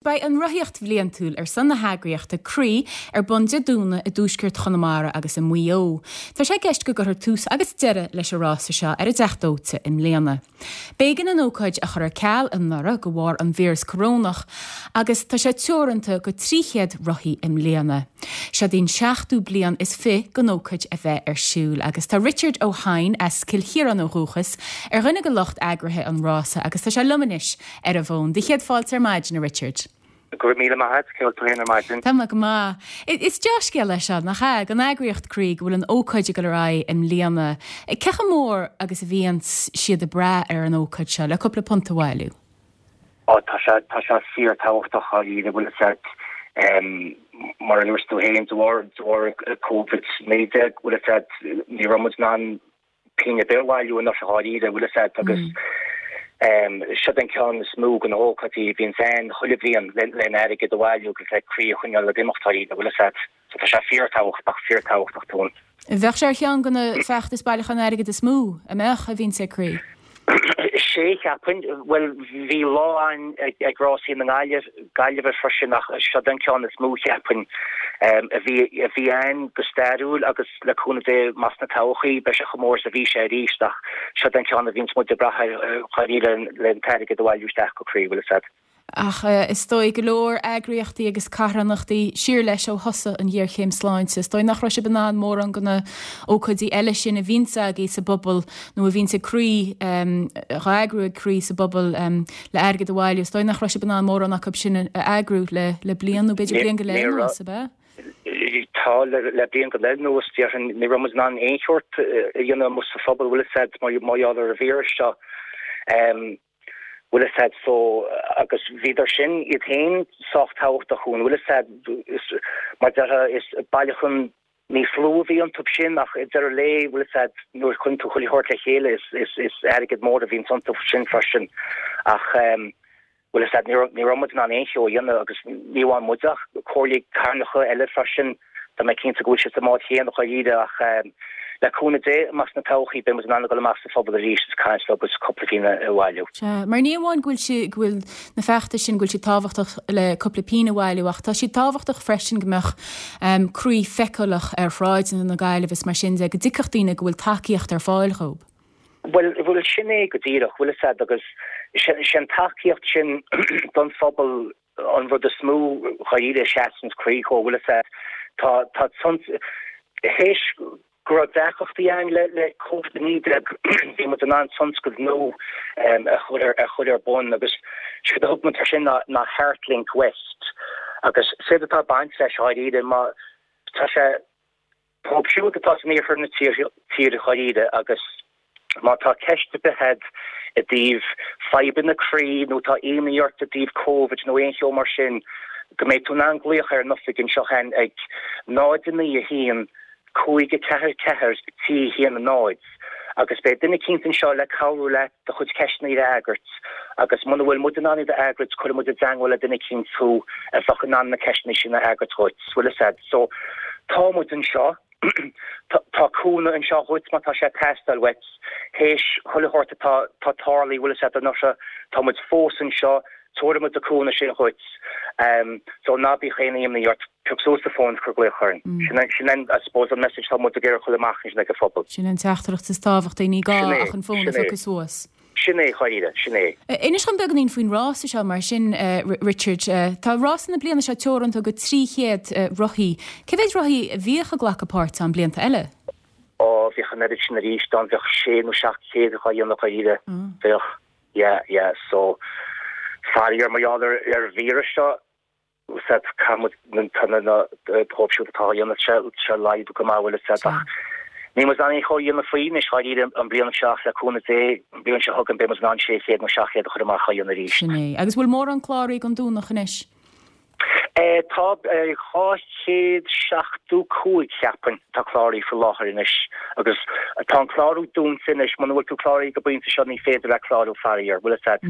Beidh an rothaíocht bhliantúil ar son na heagraíochta Croí ar bun Dé Domhnaigh i dtuaisceart Chonamara agus i Maigh Eo. Tá sé i gceist go gcuirfear tús agus deireadh leis an rása seo ar an dTeach Dóite i mbliana. B'éigean an ócáid a chur ar ceal anuraidh de bharr an víreas corónach agus tá sé teoranta go 300 rothaí i mbliana. Seod í an seachtú bliain is fi don ócáid a bheith ar siúl agus tá Richard Ó hEidhin, as Cill Chiaráin ó dhúchas, ar dhuine de lucht eagraithe an rása agus tá sé liom anois ar an bhfón. Do chéad fáilte ar maidin, a Richard. Go raibh míle maith agat, cén chaoi a bhfuil tú féin ar maidin? Tá mé go maith. Is dea-scéal é seo, nach ea, don eagraíocht Croí go bhfuil an ócáid ag dul ar aghaidh i mbliana. Cé chomh mór agus a bhíonns siad ag brath ar an ócáid seo le cúpla punt a bhailiú? Ó, tá sé, tá sé fíor-tábhachtach, dáiríre, bhfuil fhios agat, mar a dúirt tú féin, de bharr, de bharr Covid-19, bhfuil fhios agat, ní raibh muid in ann pingin ar bith a bhailiú anuraidh dháiríre, bhfuil fhios agat, agus seod an ceann is mó de na hócáidí a bhíonns ann chuile bhliain len airgead a bhailiú agus le Croí a choinneáil ag imeacht dháiríre, bhfuil fhios agat. So tá sé fíorthábhachtach, fíorthábhachtach dúinn. Bheadh sé ar cheann de na feachtais bailiúcháin airgid is mó, a mbeadh, a bhíonns ag Croí? Sé, cheapfainn. Bhuel, bhí lá ann ag Rásaí na Gaillimh, Gaillimhe freisin ach seod an ceann is mó, cheapfainn, a bhí a bhí ann go stairiúil agus le cúnamh Dé amach sna todhchaí beidh sé chomh mór is a bhí sé arís ach seod an ceann a bhíonns muid ag brath air dháiríre le an t-airgead a bhailiú isteach go Croí, bhfuil fhios agat. Ach is dóigh go leor eagraíochtaí agus carthanachtaí siar leis ó thosaigh an ghéarchéim sláinte. Is dóigh nach raibh sibh in ann mórán de na ócáidí eile sin a bhíonns agaibh sa bpobal nó a bhíonns ag Croí, á eagrú ag Croí sa bpobal le airgead a bhailiú. Is dóigh nach raibh sibh in ann mórán acu sin a eagrú le bliain nó b'fhéidir bliain go leith anuas, ab ea? Tá, le bliain go leith anuas, déarfainn, ní raibh muid in ann aon shórt a dhéanamh amuigh sa phobal, bhfuil fhios agat, mar gheall ar an víreas seo. Bhfuil fhios agat so agus bhíodar sin iad féin sách tábhachtach dhúinn, bhfuil fhios agat, is mar déarfá is bailiúchán níos lú a bhí iontu sin ach i deireadh lae, bhfuil fhios agat, nuair a chuireann tú chuile shórt le chéile is is is airgead mór a bhíonns iontu sin freisin ach ehm bhfuil fhios agat, ní raibh ní raibh muid in ann aon cheo a dhéanamh agus ní amháin muid ach comhairlí carthanacha eile freisin. Tá mé cinnte go bhfuil siad sa mbád chéanna dháiríre ach le cúnamh Dé amach sna todhchaí beidh muid in ann a dhul amach sa phobal arís is caint leo agus cúpla pingin a bhailiú. Sea, mar ní amháin go bhfuil sí, go bhfuil na feachtais sin, go bhfuil siad tábhachtach le cúpla pingin a bhailiú ach tá siad tábhachtach freisin go mbeadh croí feiceálach ar shráideanna na Gaillimhe is mar sin de, go dtuigfeadh daoine go bhfuil tacaíocht ar fáil dhóibh. Bhuel, bhuel sin é go díreach, bhfuil fhios agat agus sé an tacaíocht sin don phobal an rud is mó dháiríre a seasanns Croí dhó, bhfuil fhios agat, tá, tá théis go raibh deacrachtaí ann le, le Covid-19, bhí muid in ann tionscadal nua a chur ar, a chur ar bun agus séard a thug muid air sin ná, ná Heartlink West agus séard atá ag baint leis dháiríre má tá sé, Dóibh siúd atá san iarthar na tíre dháiríre agus má tá ceist ar bith agat i dtaobh fadhbanna croí nó tá imní ort i dtaobh Covid nó aon cheo mar sin, go mbeidh tú in ann glaoch ar an oifig anseo againn ag 0 9 1 5 4 4 3 1 0 agus beidh duine eicínt anseo le cabhrú leat do chuid ceisteanna a fhreagairt agus muna bhfuil muid in ann iad a fhreagairt cuirfidh muid i dteangmháil le duine eicínt thú a bheadh in ann na ceisteanna sin a fhreagairt dhuit, bhfuil fhios agat. So, tá muid anseo, tá cúnamh anseo dhuit má tá sé ag teastáil uait, théis chuile shórt atá tá tarlaithe, bhfuil fhios agat, anuraidh, tá muid fós anseo, tabharfaidh muid an cúnamh sin dhuit. So ná bíodh aon imní ort, pioc suas an fón is cuir glaoch orainn. Sin an, sin an, I suppose, an message atá muid ag iarraidh a chur amach ansin ag an phobal. Sin an teachtaireacht is tábhachtaí, ní gá ach an fón a phiocadh suas. Sin é, dháiríre, sin é. Inis dom beagáinín faoin rása seo mar sin, Richard. Tá rása na bliana seo teoranta go 300 rothaí. Cé mhéad rothaí a bhíodh ag glacadh páirt ann blianta eile? Ó, bhíodh an oiread sin arís ann, bheadh sé nó 700 á dhéanamh dháiríre. Bheadh. Yeah, yeah, so faraor mar gheall ar ar an víreas seo, bhfuil fhios agat, caithfidh muid tá na na dóibh siúd atá á dhéanamh sé sé laghdú go maith bhfuil fhios agat ach níl muid in ann aon cheo a dhéanamh faoi anois dháiríre an bhliain seo ach le cúnamh Dé an bhliain seo chugainn beidh muid in ann 600 nó 700 a chur amach á dhéanamh arís. Sin é. Agus bhfuil mórán cláraithe don Domhnach anois? Tá 275 cheapfainn atá cláraithe faoi láthair anois agus tá an clárú dúnta anois. Muna bhfuil tú cláraithe go pointe seo ní féidir leat clárú faraor, bhfuil fhios agat,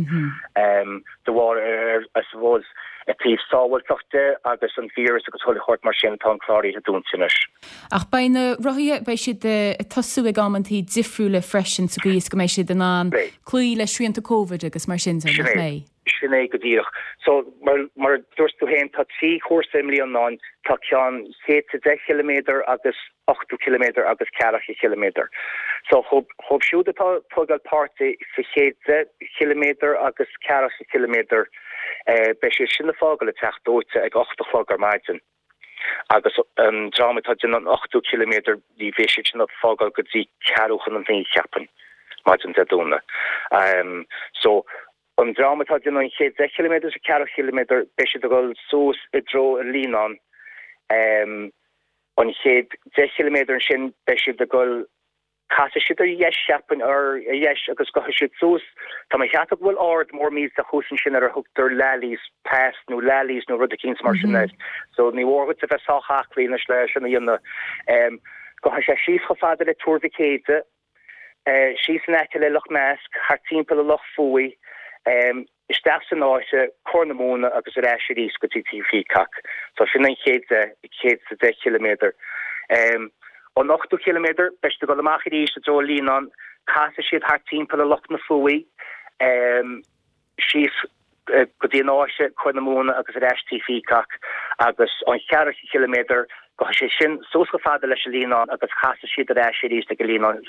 de bharr ar I suppose i dtaobh sábháilteacht de agus an víreas agus chuile shórt mar sin tá an cláraithe dúnta anois. Ach beidh na rothaithe, beidh siad ag tosú ag amantaí difriúla freisin sa gcaoi is go mbeidh siad in ann cloí le srianta Covid agus mar sin de, nach mbeidh? Sin é go díreach. So, mar, mar a dúirt tú féin, tá 3 chúrsa i mbliana ann, tá ceann 110 chiliméadar agus 80 ciliméadar agus ceathracha chiliméadar. So, dhóibh, dhóibh siúd atá ag tógáil páirt sa 110 chiliméadar agus ceathracha ciliméadar, eh, beidh siad sin ag fágáil an Teach Dóite ag 8 a chlog ar maidin. Agus an dream atá ag déanamh an 80 ciliméadar, ní bheidh siad sin ag fágáil go dtí ceathrú chun a naoi, cheapfainn, maidin Dé Domhnaigh. So, an dream atá ag déanamh an 110 ciliméadar is an ceathracha ciliméadar, beidh siad ag dul suas i dtreo an Líonáin. An 110 ciliméadar ansin, beidh siad ag dul Casfaidh siad ar dheis, cheapfainn, ar dheis agus gabhfaidh siad suas. Tá mé ag ceapadh go bhfuil ard mór millteach thuas ansin ar a thugtar Lally's Pass nó Lally's nó rud eicínt mar sin air. So ní mhór dhuit a bheith sách aclaí anois le sin a dhéanamh. Gabhfaidh sé síos chomh fada le Tuar Mhic Éide, síos in aice le Loch Measc, thart timpeall ar Loch Fuaigh. Isteach san Fháiche, Corr na Móna agus ar ais arís go dtí Tigh Peacock. So sin an chéad 110 chiliméadar. An 80 chiliméadar, beidh siad ag dul amach arís i dtreo an Líonáin, casfaidh siad thart timpeall ar Loch na Fuaí, síos go dtí an Fháiche, Corr na Móna agus ar ais Tigh Peacock agus an ceathracha chiliméadar, Gabhfaidh sé sin suas chomh fada leis an Líonán agus casfaidh siad ar ais arís ag an Líonán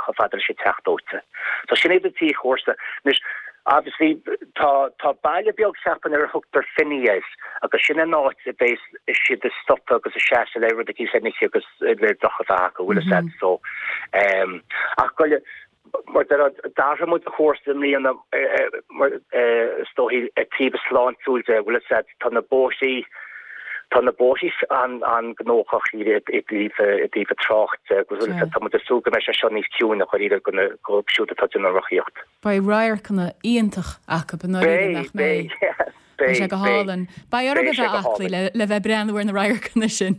chomh fada leis an Teach Dóite. So sin iad an trí chúrsa. Anois, obviously, tá, tá baile beag cheapfainn ar a thugtar Finny air agus sin an áit a bheas siad ag stopadh agus ag seasamh le rud eicínt le n-ithe agus le deoch a bheith acu, bhfuil fhios a'd, so, ehm, ach go, Mar d'athraigh muid an chúrsa i mbliana mar is dóichí i dtaobh sláintiúil de, bhfuil fhios a'd, tá na bóithrí, tá na bóithrí an-ghnóthach i dtaobh an trácht de agus bhfuil fhios a'd, tá muid ag súil go mbeidh sé seo níos ciúine dháiríre dóibh siúd atá ag déanamh an rothaíocht. Beidh radharcanna iontach acu i ndáiríre, nach mbeidh? Beidh, beidh. Beidh sé go hálainn. Beidh orm a bheith aclaí le bheith ag breathnú ar na radharcanna sin.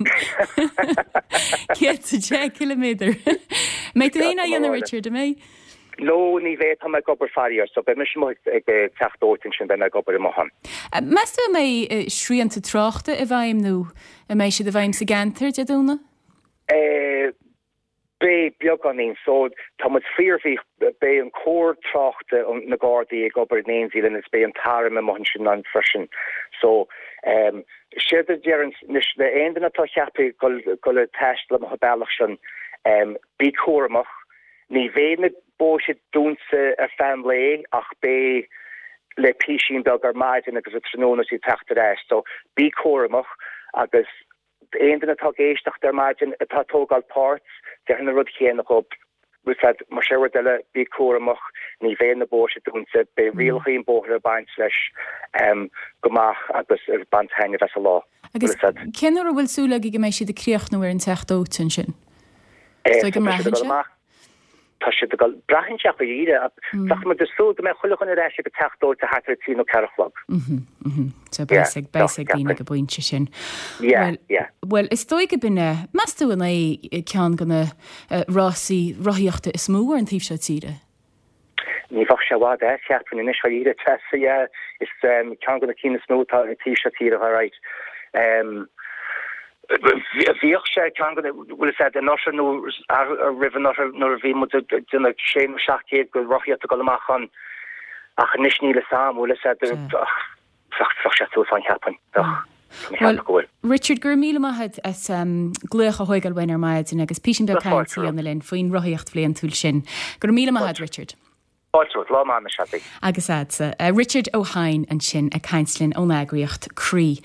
110 ciliméadar. Mbeidh tú féin á dhéanamh Richard, an mbeidh? No, ní bheidh, tá mé ag obair faraor, so beidh mise amuigh ag Teach Dóite ansin, beidh mé ag obair amuigh ann. Meas tú an mbeidh srianta tráchta i bhfeidhm nó an mbeidh siad i bhfeidhm sa gceantar Dé Domhnaigh? Beidh, beagáinín. So, tá muid fíor-bhuíoch, beidh an cór tráchta, na Gardaí ag obair in éindí linn agus beidh an t-arm amuigh ansin ann freisin. So, ehm, séard a déarfainn anois le aon duine atá ceaptha dul, dul ag taisteal amuigh an bealach sin, ehm, bí cúramach, ní bheidh na bóithre dúnta ar feadh an lae ach beidh le písín beag ar maidin agus an tráthnóna is ag teacht ar ais. So, bí cúramach agus Aon duine atá ag éisteacht ar maidin atá ag tógáil páirt, déarfainn an rud chéanna dhób. Bhfuil fhios a'd, mar sin rud eile, bí cúramach, ní bheidh na bóithre dúnta, beidh rialacha an bhóthair ag baint leis go maith agus ag baint taitneamh as an lá. Agus cén uair a bhfuil súil agaibh go mbeidh siad ag críochnú ar an Teach Dóite ansin? Is dóigh go mbraitheann sé? Tá siad ag dul, braitheann sé dháiríre, bheadh muid ag súil go mbeadh chuile dhuine ar ais ag an teach dóite thart ar 3 nó 4 a chlog. So beidh a fhios ag daoine ag an bpointe sin. Yeah, yeah. Bhuel, is dóigh go b'in é, meas tú an é ceann de na rásaí rothaíochta is mó ar an taobh seo tíre? Ní bheadh sé i bhfad as, cheapfainn anois, dháiríre, Treasa, yeah, is ceann de na cinn is mó atá ar an taobh seo tíre, alright. Bhíodh sé ceann de na, bhfuil fhios a'd, anuraidh nó roimh anuraidh nuair a bhí muid ag déanamh sé nó 700 de rothaíocht ag dul amach ann ach anois níl fhios a'm, bhfuil fhios a'd, bheadh sé suas ann cheapfainn, bheadh, tá mé ag ceapadh go bhfuil. Richard, go raibh míle maith a't as glaoch a thóigeáil uainn ar maidin agus písín beag cainte a dhéanamh linn faoin rothaíocht bhliantúil sin. Go raibh míle maith a't, Richard. Fáilte romhat, lá maith anois Abby. Agus a'dsa. Richard Ó hEidhin ansin ag caint linn ón eagraíocht Croí.